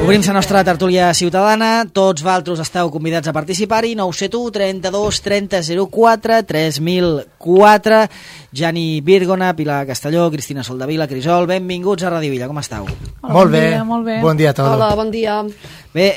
Obrim la nostra tertúlia ciutadana. Tots vosaltres esteu convidats a participar-hi. 971 32 30 04 3004. Jani Virgona, Pilar Castelló, Cristina Soldavila, Crisol, benvinguts a Ràdio Villa. Com esteu? Hola, molt bé, molt bé. Bon dia a tots. Hola, bon dia. Bé,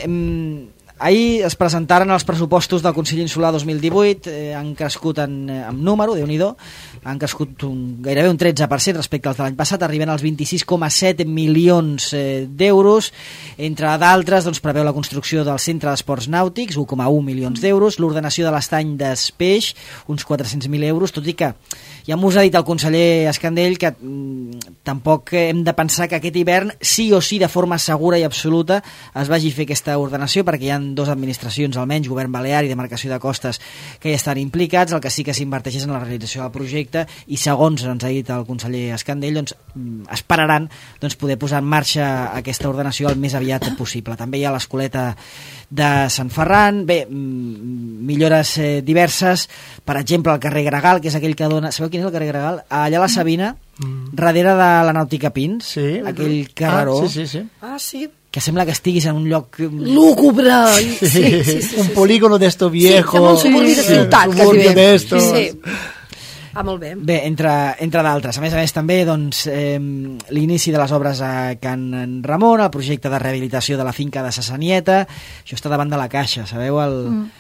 ahir es presentaren els pressupostos del Consell Insular 2018, han crescut en número, Déu-n'hi-do, han crescut gairebé un 13% respecte als de l'any passat, arriben als 26,7 milions d'euros. Entre d'altres, preveu la construcció del Centre d'Esports Nàutics, 1,1 milions d'euros, l'ordenació de l'estany d'Espeix, uns 400.000 euros, tot i que ja m'ho ha dit el conseller Escandell que tampoc hem de pensar que aquest hivern sí o sí de forma segura i absoluta es vagi a fer aquesta ordenació, perquè hi ha dues administracions almenys, Govern Balear i Demarcació de Costes, que ja estan implicats. El que sí que s'inverteix és en la realització del projecte i segons ens ha dit el conseller Escandell, esperaran poder posar en marxa aquesta ordenació el més aviat possible. També hi ha l'escoleta de Sant Ferran, bé, millores diverses, per exemple el carrer Gregal, que és aquell que dona... Sabeu quin és el carrer Gregal? Allà a la Sabina, darrere de la Nàutica Pins, sí. Aquell carreró, sí. que sembla que estiguis en un lloc... lúgubre! Sí. Un polígono d'esto viejo. Sí, un suburbi de ciutat. Un suburbi d'esto. Sí. Molt bé. Bé, entre d'altres. A més, també l'inici de les obres a Can Ramon, el projecte de rehabilitació de la finca de Sassanieta, això està davant de la Caixa, sabeu?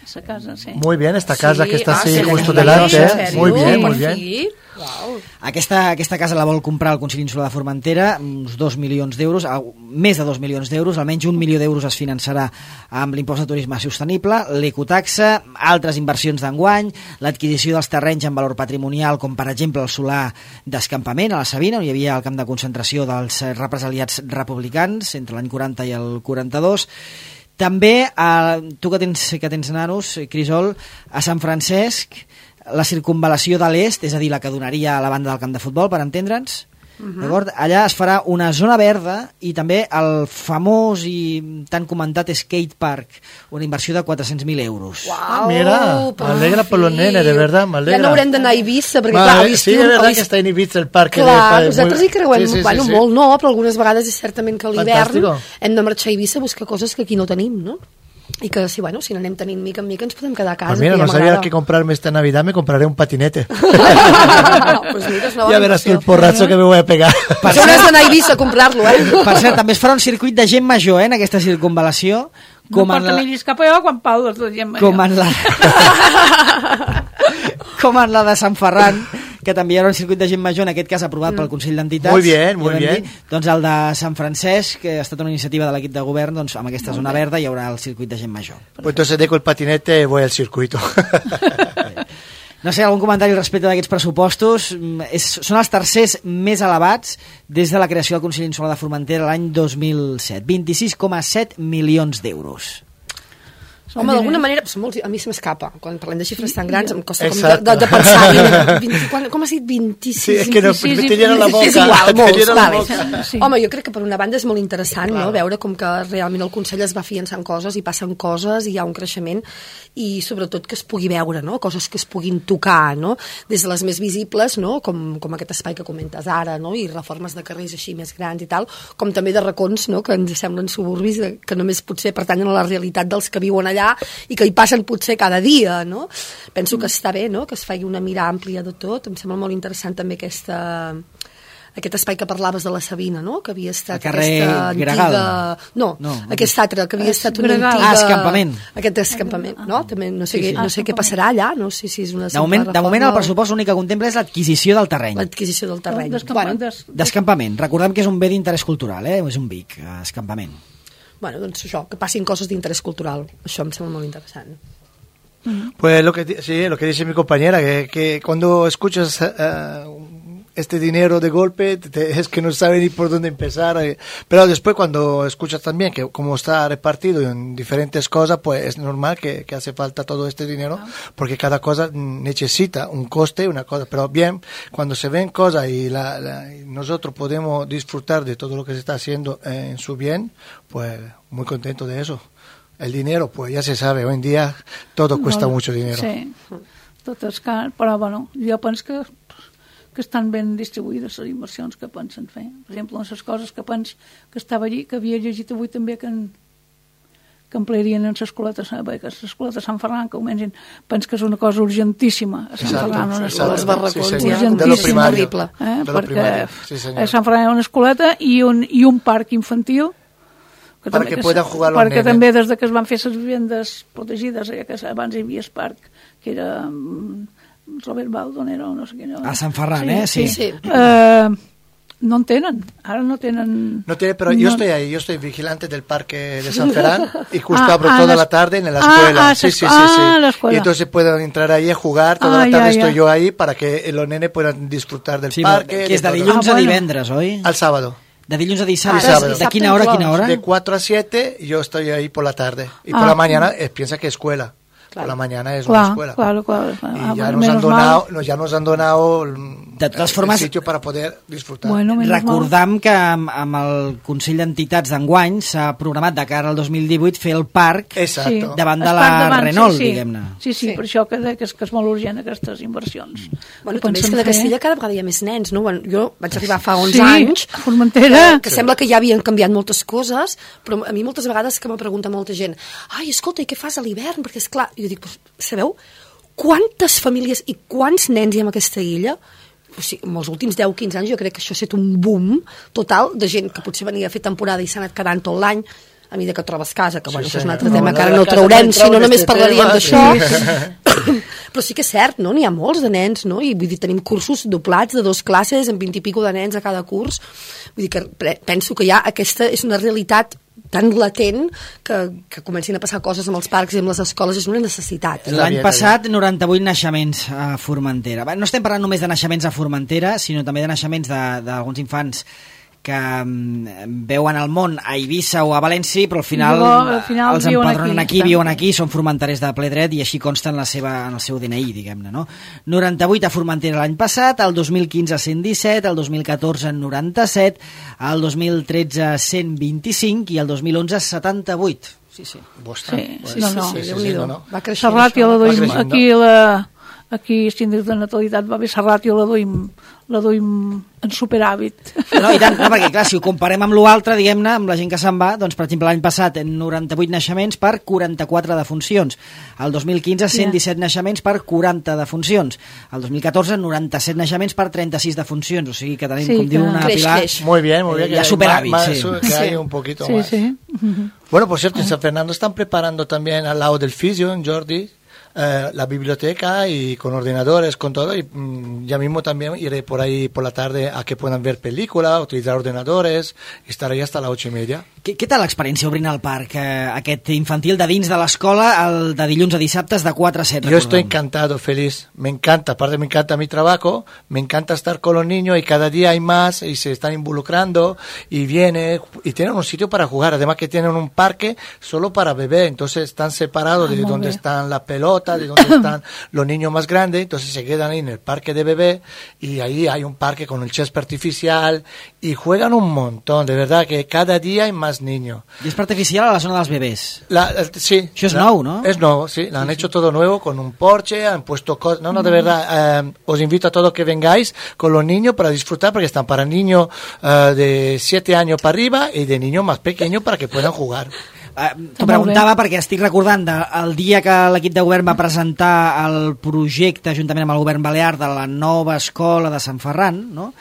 Esa casa, sí. Muy bien, esta casa que está así sí, justo sí, delante. sí, Muy bien, muy sí. bien. Wow. Aquesta casa la vol comprar el Consell Insular de Formentera, uns 2 milions d'euros, més de 2 milions d'euros, almenys 1 milió d'euros es finançarà amb l'impost de turisme sostenible, l'ecotaxa, altres inversions d'enguany, l'adquisició dels terrenys en valor patrimonial, com per exemple el solar d'escampament a la Sabina, on hi havia el camp de concentració dels represaliats republicans entre l'any 40 i el 42. També, tu que tens nanos, Crisol, a Sant Francesc, la circunvalació de l'est, és a dir, la que donaria a la banda del camp de futbol, per entendre'ns, d'acord? Allà es farà una zona verda i també el famós i tan comentat skate park, una inversió de 400.000 euros. Wow, mira, m'alegra per los nenes, de verdad, m'alegra. Ja no haurem d'anar a Eivissa, perquè clar, sí, de verdad que està en Eivissa el parc. Clar, nosaltres hi creuem, molt no, però algunes vegades és certament que a l'hivern hem de marxar a Eivissa a buscar coses que aquí no tenim, no? Y que si n'anem tenint mica en mica ens podem quedar a casa. Pues mira, no sabía que comprarme esta Navidad, me compraré un patinete. Pues mira, és una bona ya verás el porrazo que me voy a pegar. Per això no has d'anar a Eivissa a comprar-lo, Per cert, també es farà un circuit de gent major, en aquesta circunvalació. No porta miris cap allò quan Pau de gent major. Com en la de Sant Ferran, que també hi haurà un circuit de gent major, en aquest cas aprovat pel Consell d'Entitats. Muy bien. Doncs el de Sant Francesc, que ha estat una iniciativa de l'equip de govern, doncs amb aquesta zona verda hi haurà el circuit de gent major. Pues entonces dejo el patinete y voy al circuito. No sé, algun comentari respecte d'aquests pressupostos? Són els tercers més elevats des de la creació del Consell Insular de Formentera l'any 2007. 26,7 milions d'euros. Home, d'alguna manera, a mi se m'escapa. Quan parlem de xifres tan grans em costa com de pensar. Com has dit? 26? Sí, és que no, te llena la boca. És igual, molts. Home, jo crec que per una banda és molt interessant, no?, veure com que realment el Consell es va afiançant coses i passen coses i hi ha un creixement i sobretot que es pugui veure, no?, coses que es puguin tocar, no?, des de les més visibles, no?, com aquest espai que comentes ara, no?, i reformes de carrers així més grans i tal, com també de racons, no?, que ens semblen suburbis que només potser pertanyen a la realitat dels que viuen allà i que hi passen potser cada dia, no? Penso que està bé, no?, que es faci una mira àmplia de tot. Em sembla molt interessant també aquest espai que parlaves de la Sabina, no?, que havia estat aquesta antiga... No, aquest altre, que havia estat una antiga... escampament. Aquest escampament, no? També no sé què passarà allà, no sé si és una... De moment el pressupost l'únic que contempla és l'adquisició del terreny. L'adquisició del terreny. D'escampament. Recordem que és un bé d'interès cultural, és un BIC, escampament. Bueno, doncs això, que passin coses d'interès cultural. Això em sembla molt interessant. Pues lo que dice mi compañera, que cuando escuchas este dinero de golpe es que no sabe ni por dónde empezar, pero después cuando escuchas también que como está repartido en diferentes cosas, pues es normal que hace falta todo este dinero, porque cada cosa necesita un coste, una cosa, pero bien, cuando se ven cosas y nosotros podemos disfrutar de todo lo que se está haciendo en su bien, pues muy contento de eso. El dinero, pues ya se sabe, hoy en día todo cuesta mucho dinero. Sí, tot és car, però bueno, jo penso que estan ben distribuïdes les inversions que pensen fer. Per exemple, les coses que pens que estava allí, que havia llegit avui també que emplearien en l'escoleta de Sant Ferran, que comencin, pens que és una cosa urgentíssima a Sant Ferran, una escoleta. Els barracons, urgentíssima, horrible. Perquè a Sant Ferran hi ha una escoleta i un parc infantil perquè puedan jugar los perquè nenes. també des que es van fer les vivendes protegides, que abans hi havia el parc, que era Robert Baldonero, no sé quin. A Sant Ferran, sí. No en tenen, ara no tenen... No tiene, pero yo estoy ahí, yo estoy vigilante del parque de San Ferran y justo abro toda la tarde en la escuela. Sí. La escuela. Y entonces pueden entrar ahí a jugar, toda la tarde estoy yo ahí para que los nenes puedan disfrutar del parque. Que és de dilluns a divendres, oi? Al sábado. De dilluns a dissabte. ¿De quina hora a quina hora? De 4 a 7 yo estoy ahí por la tarde. Y por la mañana piensa que escuela. Por la mañana es una escuela. Claro. Y ya nos han donado de totes formes, el sitio para poder disfrutar. Recordam que amb el Consell d'Entitats d'enguany s'ha programat de cara al 2018 fer el parc davant de la Renault, diguem-ne. Sí, per això que és molt urgent aquestes inversions. Bueno, també és que de Castella cada vegada hi ha més nens, no? Jo vaig arribar fa 11 anys, a Formentera, que sembla que ja havien canviat moltes coses, però a mi moltes vegades que me pregunta molta gent, ai, escolta, i què fas a l'hivern? Perquè és clar, jo dic, sabeu quantes famílies i quants nens hi ha en aquesta illa? O sigui, en els últims 10-15 anys jo crec que això ha estat un boom total de gent que potser venia a fer temporada i s'ha anat quedant tot l'any a mesura que trobes casa, que bueno, això és un altre tema que ara no traurem, si no només parlaríem d'això. Però sí que és cert, no? N'hi ha molts de nens, no? I vull dir, tenim cursos doblats de 2 classes amb 20 i pico de nens a cada curs. Vull dir que penso que ja aquesta és una realitat tan latent que comencin a passar coses amb els parcs i amb les escoles, és una necessitat. L'any passat 98 naixements a Formentera. No estem parlant només de naixements a Formentera, sinó també de naixements d'alguns infants que veuen el món a Eivissa o a València, però al final els empadronen aquí, viuen aquí, són formenterers de ple dret i així consta en el seu DNI, diguem-ne, no? 98 a Formentera l'any passat, el 2015 117, el 2014 97, el 2013 125 i el 2011 78. Sí. No. Va creixent. La ràtio la duim aquí l'índex de natalitat va bé, la ràtio la duim en superàvit. No, i tant, perquè clar, si ho comparem amb l'altre, diguem-ne, amb la gent que se'n va, doncs per exemple l'any passat 98 naixements per 44 defuncions, el 2015 117 naixements per 40 defuncions, el 2014 97 naixements per 36 defuncions, o sigui que tenim, com diu una Pilar, muy bien, ya superàvit, que hay un poquito más. Bueno, por cierto, en San Fernando están preparando también al lado del fisio, en Jordi, la biblioteca y con ordenadores, con todo, y ya mismo también iré por ahí por la tarde a que puedan ver películas, utilizar ordenadores y estar ahí hasta las 8:30. Què tal l'experiència obrint el parc aquest infantil de dins de l'escola, el de dilluns a dissabtes de 4 a 7? Yo estoy encantado, feliz, me encanta, aparte me encanta mi trabajo, me encanta estar con los niños y cada día hay más y se están involucrando y vienen y tienen un sitio para jugar, además que tienen un parque solo para bebés, entonces están separados de donde están las pelotas, de donde están los niños más grandes, entonces se quedan ahí en el parque de bebé y ahí hay un parque con el césped artificial y juegan un montón, de verdad que cada día hay más niños. Y es artificial a la zona de los bebés. Sí. Eso es nuevo, ¿no? Es nuevo, sí. Han hecho todo nuevo con un porche, han puesto cosas. No, de verdad, os invito a todos que vengáis con los niños para disfrutar, porque están para niños de 7 años para arriba y de niños más pequeños para que puedan jugar. T'ho preguntava perquè estic recordant el dia que l'equip de govern va presentar el projecte juntament amb el govern balear de la nova escola de Sant Ferran, no?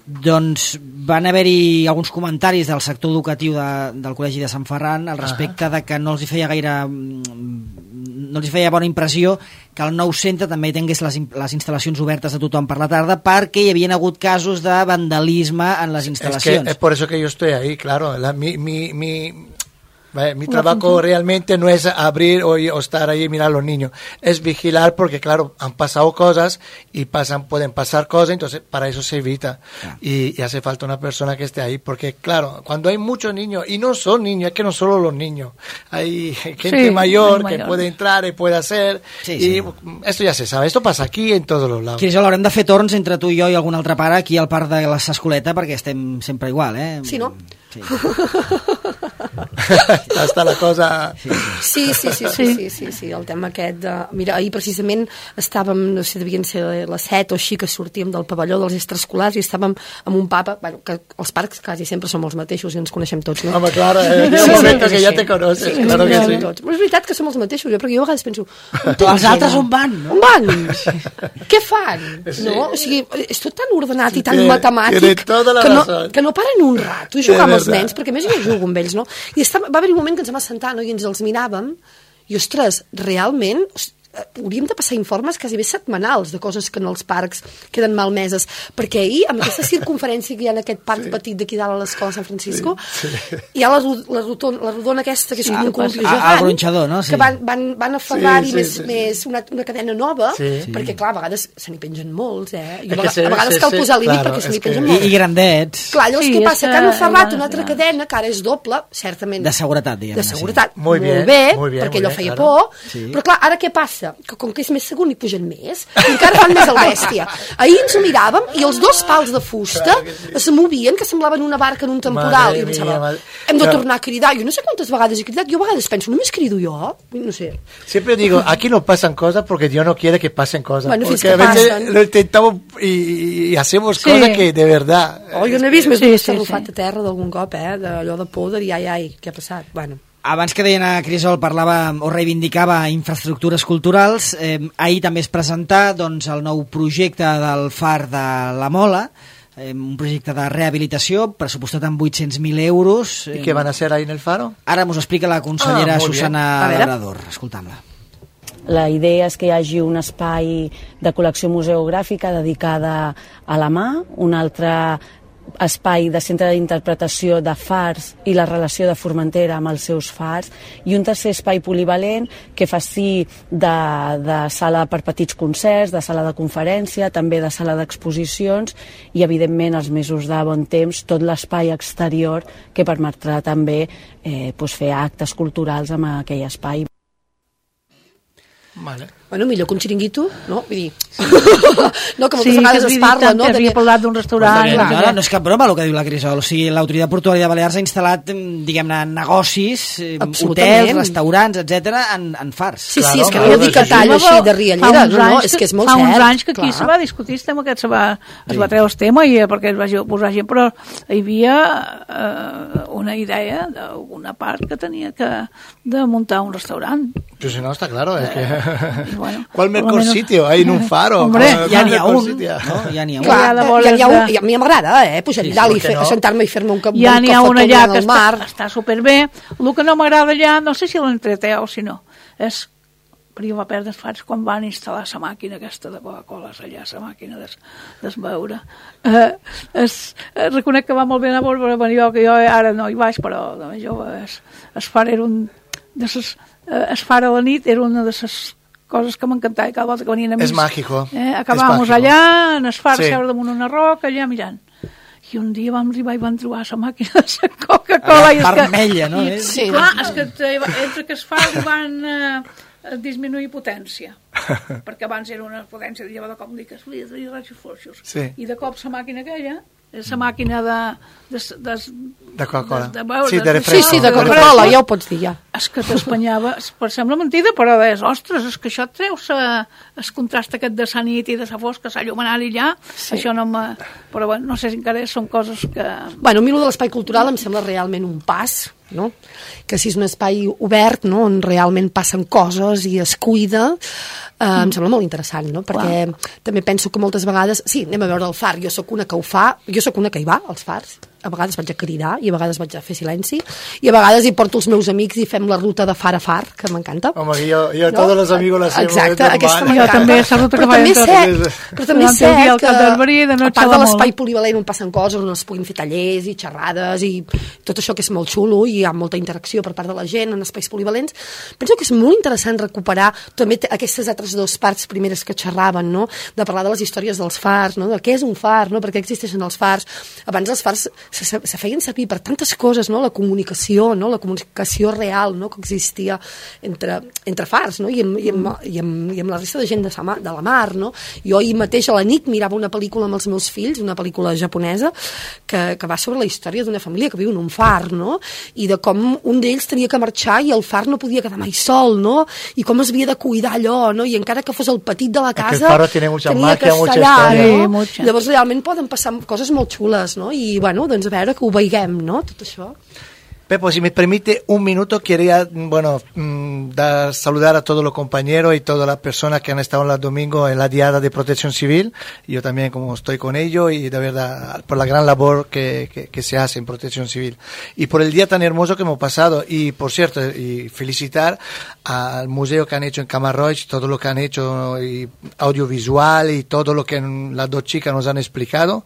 Doncs van haver-hi alguns comentaris del sector educatiu del Col·legi de Sant Ferran al respecte de que no els hi feia bona impressió que el nou centre també tingués les instal·lacions obertes a tothom per la tarda, perquè hi havien hagut casos de vandalisme en les instal·lacions. Es por eso que yo estoy ahí, claro. Mi trabajo realmente no es abrir o estar ahí y mirar a los niños, es vigilar, porque claro, han pasado cosas y pueden pasar cosas, entonces para eso se evita. Y hace falta una persona que esté ahí, porque claro, cuando hay muchos niños, y no son niños, es que no solo los niños, hay gente mayor que puede entrar y puede hacer, y esto ya se sabe, esto pasa aquí en todos los lados. Quirjol, haurem de fer torns entre tu i jo i algun altre pare aquí al parc de la Sascoleta, perquè estem sempre igual, eh? Sí, no? Sí. Està la cosa... Sí, el tema aquest de... Mira, ahir precisament estàvem, no sé, devien ser les 7 o així, que sortíem del pavelló dels extraescolars i estàvem amb un papa, bueno, que els parcs quasi sempre som els mateixos i ens coneixem tots, no? Home, claro, en un moment que ja te conoces, sí, claro que sí. Tots. Però és veritat que som els mateixos, perquè jo a vegades penso... Els altres on van, no? On van? Què fan? Sí. No? O sigui, és tot tan ordenat i tan matemàtic que no paren un rato a jugar amb els nens, perquè a més jo jugo amb ells, no? I va haver un moment que ens vam assentar, no? I ens els miràvem i, ostres, realment hauríem de passar informes quasi bé setmanals de coses que en els parcs queden malmeses, perquè ahir, amb aquesta circunferència que hi ha en aquest parc petit d'aquí dalt a l'escola de Sant Francisco, hi ha la rodona aquesta, que és un col·lectiu gegant, no? Que van aferrar-hi més una cadena nova, perquè, clar, a vegades se n'hi pengen molts, I a vegades cal posar límit perquè se n'hi pengen molts. I grandets. Clar, llavors què passa? Que han aferrat una altra cadena, que ara és doble, certament. De seguretat, diguem. De seguretat, molt bé, perquè allò feia por, però clar, ara què passa? Que com que és més segur n'hi pugen més i encara fan més el bèstia. Ahir ens ho miràvem i els dos pals de fusta es movien, que semblaven una barca en un temporal. I pensava, hem de tornar a cridar. Jo no sé quantes vegades he cridat, jo a vegades penso, només crido jo? No sé. Siempre digo, aquí no pasan cosas porque Dios no quiere que pasen cosas. Bueno, porque a veces lo intentamos y hacemos cosas que de verdad... Jo no he vist més d'un estarrufat a terra d'algun cop, d'allò de por, de dir, ai, què ha passat? Bueno... Abans que Diana Crisol parlava o reivindicava infraestructures culturals, ahir també es presentà doncs, el nou projecte del Far de la Mola, un projecte de rehabilitació pressupostat amb 800.000 euros. I què van a fer ahí en el Faro? Ara m'ho explica la consellera Susana Labrador. Escoltam-la. La idea és que hi hagi un espai de col·lecció museogràfica dedicada a la mà, un altre espai de centre d'interpretació de fars i la relació de Formentera amb els seus fars, i un tercer espai polivalent que faci de sala per petits concerts, de sala de conferència, també de sala d'exposicions i, evidentment, els mesos de bon temps, tot l'espai exterior que permetrà també fer actes culturals amb aquell espai. Vale. Bueno, millor que un xiringuito, no? Vull dir... no, que moltes vegades es parla, no? Havia parlat d'un restaurant... No és cap broma el que diu la Crisol. O sigui, l'Autoritat Portuària de Balears ha instal·lat, diguem-ne, negocis, hotels, restaurants, etc en fars. Sí, és que no dic que talla així de riallera, no? És que és molt cert. Fa uns anys que aquí se va discutir el tema aquest, es va treure el tema perquè es va posar gent, però hi havia una idea d'una part que tenia de muntar un restaurant. Pues si no, está claro, es que... Bueno, ¿cuál mejor sitio? Hay en un faro. Hombre, ja n'hi ha un. Ja n'hi ha un. A mi m'agrada, pujar dalt i sentar-me i fer-me un cafè ja n'hi ha un allà que està superbé. El que no m'agrada allà, no sé si l'entreté o si no, és... Però jo va perdre els fars quan van instal·lar la màquina aquesta de Coca-Cola allà, la màquina d'esbeure. Reconec que va molt bé anar a veure, jo ara no hi vaig, però de més jove es far era un... Es far a la nit era una de les coses que m'encantava, cada volta que venien amics. És màgico. Acabàvem allà, en es far, seure damunt una roca, allà mirant. I un dia vam arribar i vam trobar la màquina de la Coca-Cola. Vermella, no? Sí, clar, és que entre que es fa van disminuir potència. Perquè abans era una potència de llevar de cop dic, de rajos fluixos. I de cop la màquina aquella, la màquina de Coca-Cola. Sí, de Coca-Cola, ja ho pots dir, ja. És que t'espanyava, sembla mentida, però és, ostres, és que això et treus el contrast aquest de la nit i de la fosca, la llum anar allà, això no me... Però bueno, no sé si encara són coses que... Bueno, a mi de l'espai cultural em sembla realment un pas, no? Que si és un espai obert, no? On realment passen coses i es cuida, em sembla molt interessant, no? Perquè també penso que moltes vegades... Sí, anem a veure el far, jo sóc una que ho fa, jo sóc una que hi va, als fars, a vegades vaig a cridar i a vegades vaig a fer silenci i a vegades hi porto els meus amics i fem la ruta de far a far, que m'encanta. Home, jo no? Tots els amics la hacemos. Exacte, aquesta m'encanta. Jo també, la ruta que faig però també és cert que a part de l'espai polivalent on passen coses, on es puguin fer tallers i xerrades i tot això que és molt xulo i hi ha molta interacció per part de la gent en espais polivalents, penso que és molt interessant recuperar també aquestes altres dues parts primeres que xerraven, no? De parlar de les històries dels fars, no? De què és un far, no? Per què existeixen els fars. Abans els fars se feien servir per tantes coses, no? La comunicació real, no? Que existia entre fars, no? I amb la resta de gent de la mar, no? Jo ahir mateix a la nit mirava una pel·lícula amb els meus fills, una pel·lícula japonesa que va sobre la història d'una família que viu en un far, no? I de com un d'ells tenia que marxar i el far no podia quedar mai sol, no? I com es havia de cuidar allò, no? I encara que fos el petit de la casa, tenia que estar allà, no? Llavors realment poden passar coses molt xules, no? I bueno, doncs a veure que ho veiguem, no? Tot això. Pepo, si me permite un minuto, quería saludar a todos los compañeros y todas las personas que han estado el domingo en la Diada de Protección Civil. Yo también, como estoy con ellos, y de verdad, por la gran labor que se hace en Protección Civil. Y por el día tan hermoso que hemos pasado. Y, por cierto, y felicitar al museo que han hecho en Camarroig, todo lo que han hecho, y audiovisual, y todo lo que las dos chicas nos han explicado.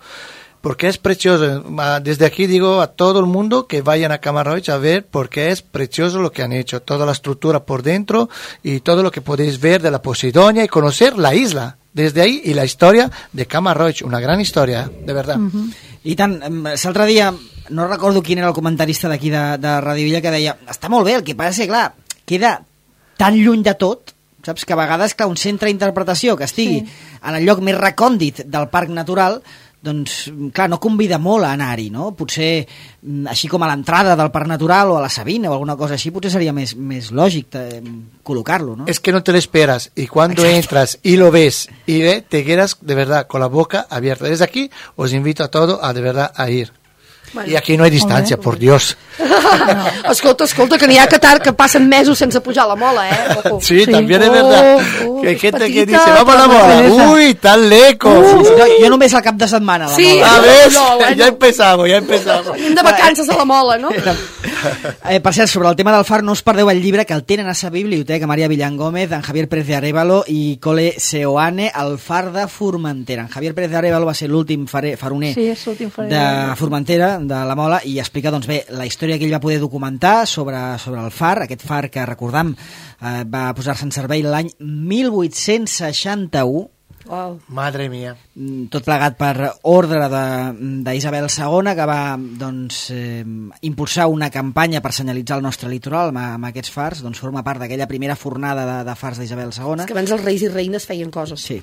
Porque es precioso. Desde aquí digo a todo el mundo que vayan a Camarroig a ver, porque es precioso lo que han hecho, toda la estructura por dentro y todo lo que podéis ver de la Posidonia y conocer la isla desde ahí y la historia de Camarroig, una gran història, de verdad. I tant, l'altre dia no recordo quin era el comentarista d'aquí de Radio Villa que deia, està molt bé, el que passa és que clar, queda tan lluny de tot, saps, que a vegades que un centre d'interpretació que estigui en el lloc més recòndit del parc natural, doncs, clar, no convida molt a anar-hi, no? Potser, així com a l'entrada del Parc Natural o a la Sabina o alguna cosa així, potser seria més lògic col·locar-lo, ¿no? Es que no te lo esperas, y cuando entras y lo ves, y te quedas de verdad con la boca abierta. Desde aquí os invito a todos a de verdad a ir. Bueno, i aquí no hi ha distància, por Dios. Escolta, que n'hi ha que passen mesos sense pujar a la mola, Ojo. Sí, también es verdad. Que hay gente que dice, vamos a la mola. Uy, tan lejos. Jo només al cap de setmana, la mola. A ver, ya empezamos. Anem de vacances a la mola, no? Per cert, sobre el tema del far, no us perdeu el llibre que el tenen a sa biblioteca, Maria Villangómez, en Javier Pérez de Arévalo i Cole Seoane, el far de Formentera. En Javier Pérez de Arévalo va ser l'últim faroner de Formentera, de la Mola, i explica doncs bé la història que ell va poder documentar sobre el far, aquest far que recordam va posar-se en servei l'any 1861. Wow. Madre mía. Tot plegat per ordre d'Isabel II, que va impulsar una campanya per senyalitzar el nostre litoral amb aquests fars. Doncs forma part d'aquella primera fornada de fars d'Isabel II. És que abans els reis i reines feien coses. Sí.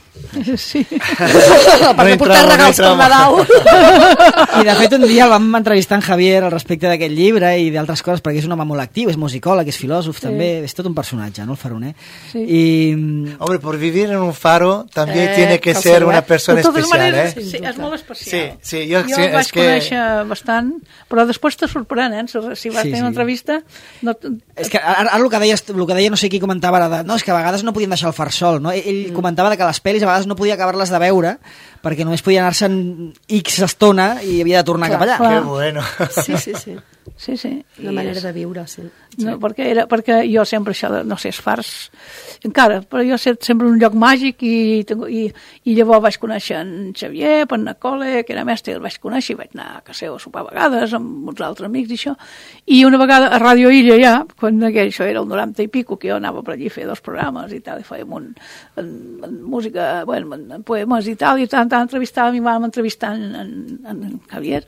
A part de portar regals per Nadal. I de fet un dia el vam entrevistar en Javier al respecte d'aquest llibre i d'altres coses, perquè és un home molt actiu, és musicòleg, és filòsof també, és tot un personatge, no, el faroner? Sí. Hombre, por vivir en un faro también tiene que ser una persona especial, Sí, és molt especial. Sí, jo el vaig conèixer bastant, però després te sorprèn, si vas tenir una entrevista... És que ara el que deia no sé qui comentava ara, és que a vegades no podien deixar el far sol, no? Ell comentava que les pel·lis a vegades no podia acabar-les de veure perquè només podia anar-se'n X estona i havia de tornar cap allà. Que bueno. Sí. Una manera de viure, sí. No, perquè jo sempre això de, no sé, els fars encara, però jo sé sempre un lloc màgic i llavors vaig conèixer en Xavier, en Cole, que era mestre, el vaig conèixer i vaig anar a casa seva a sopar a vegades amb uns altres amics i això, i una vegada a Ràdio Illa ja, quan això era el 90 i pico, que jo anava per allí a fer 2 programes i tal, i fèiem en música, en poemes i tal, i tant entrevistàvem i vam entrevistar en Javier.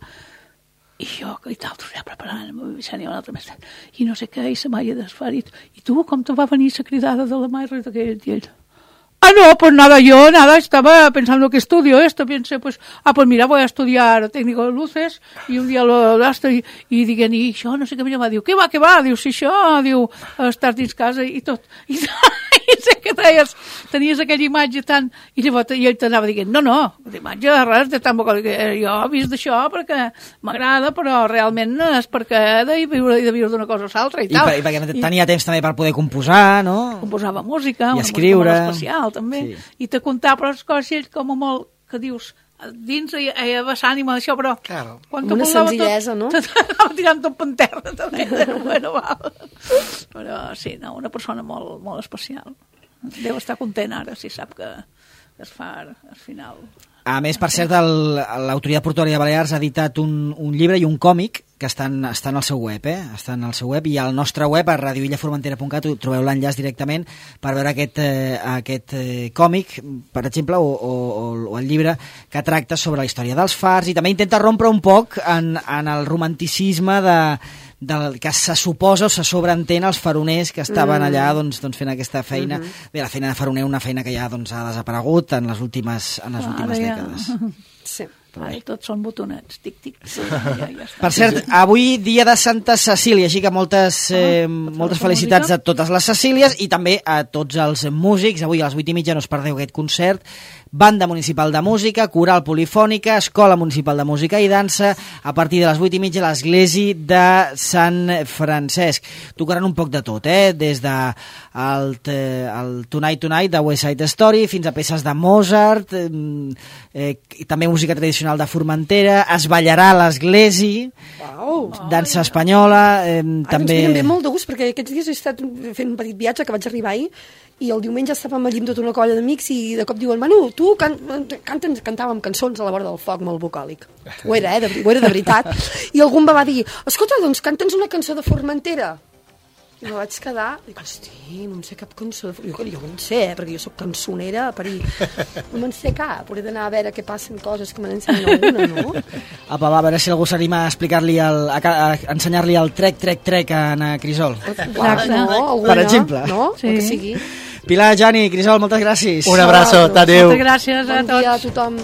I jo, i l'altre ja preparant, Vicent i un altre mestre, i no sé què, i se m'ha desfarit. I tu, com te va venir la cridada de la Maire d'aquell? I ell, no, pues nada, estaba pensando que estudio esto, pensé, pues mira, voy a estudiar técnico de luces, y un día lo estoy, i diguen, i això, no sé què, mira, diu, què va, diu, si això, diu, estàs dins casa i tot, i sé que tenies aquella imatge tan, i llavors ell t'anava dient, no, d'imatge res, de tampoc, jo he vist d'això perquè m'agrada, però realment és perquè he de viure d'una cosa a l'altra i tal. I perquè tenia temps també per poder composar, no? Composava música, i escriure. Una música molt especial també, i te contava però les coses com a molt, que dius, dins hi ha vessant-hi d'això, però quan una senzillesa, no? T'anava tirant tot per terra també. Bueno, però sí, una persona molt, molt especial. Deu estar content ara si sap que es fa al final. A més, per cert, l'Autoritat Portuària de Balears ha editat un llibre i un còmic que estan al seu web, estan al seu web, i al nostre web, a radioillaformentera.cat, trobeu l'enllaç directament per veure aquest còmic, per exemple, o el llibre que tracta sobre la història dels fars, i també intenta rompre un poc en el romanticisme del que se suposa o se sobreentén els faroners que estaven allà doncs, fent aquesta feina. Bé, la feina de faroner, una feina que ja doncs, ha desaparegut en les últimes dècades. Sí. Ara tots són botonets, tic-tic. Ja per cert, avui dia de Santa Cecília, així que moltes felicitats a totes les Cecílies i també a tots els músics. Avui a les 8:30 no us perdeu aquest concert. Banda Municipal de Música, Coral Polifònica, Escola Municipal de Música i Dansa, a partir de les 8:30 a l'església de Sant Francesc. Tocaran un poc de tot, des de el Tonight Tonight de West Side Story fins a peces de Mozart, també música tradicional de Formentera, es ballarà a l'església, dansa espanyola, també... Ens ve molt de gust, perquè aquests dies he estat fent un petit viatge que vaig arribar ahir, i el diumenge estàvem allí amb tota una colla d'amics i de cop diuen, Manu, tu cantàvem cançons a la vora del foc molt bucòlic. Ho era de veritat. I algú em va dir, escolta, doncs canta'ns una cançó de Formentera. I me vaig quedar, i dic, hosti, no em sé cap cançó. Jo no en sé, perquè jo soc cançonera a parir. No me'n sé cap, hauré d'anar a veure què passen coses que me n'ensenyen alguna, no? Apa, va, a veure si algú s'anima a explicar-li, a ensenyar-li el trec a Anna Crisol. Per exemple. No? Sí. Que sigui. Pilar, Jani, Crisol, moltes gràcies. Un abraço, adéu. Moltes gràcies a tots. Bon dia a tothom.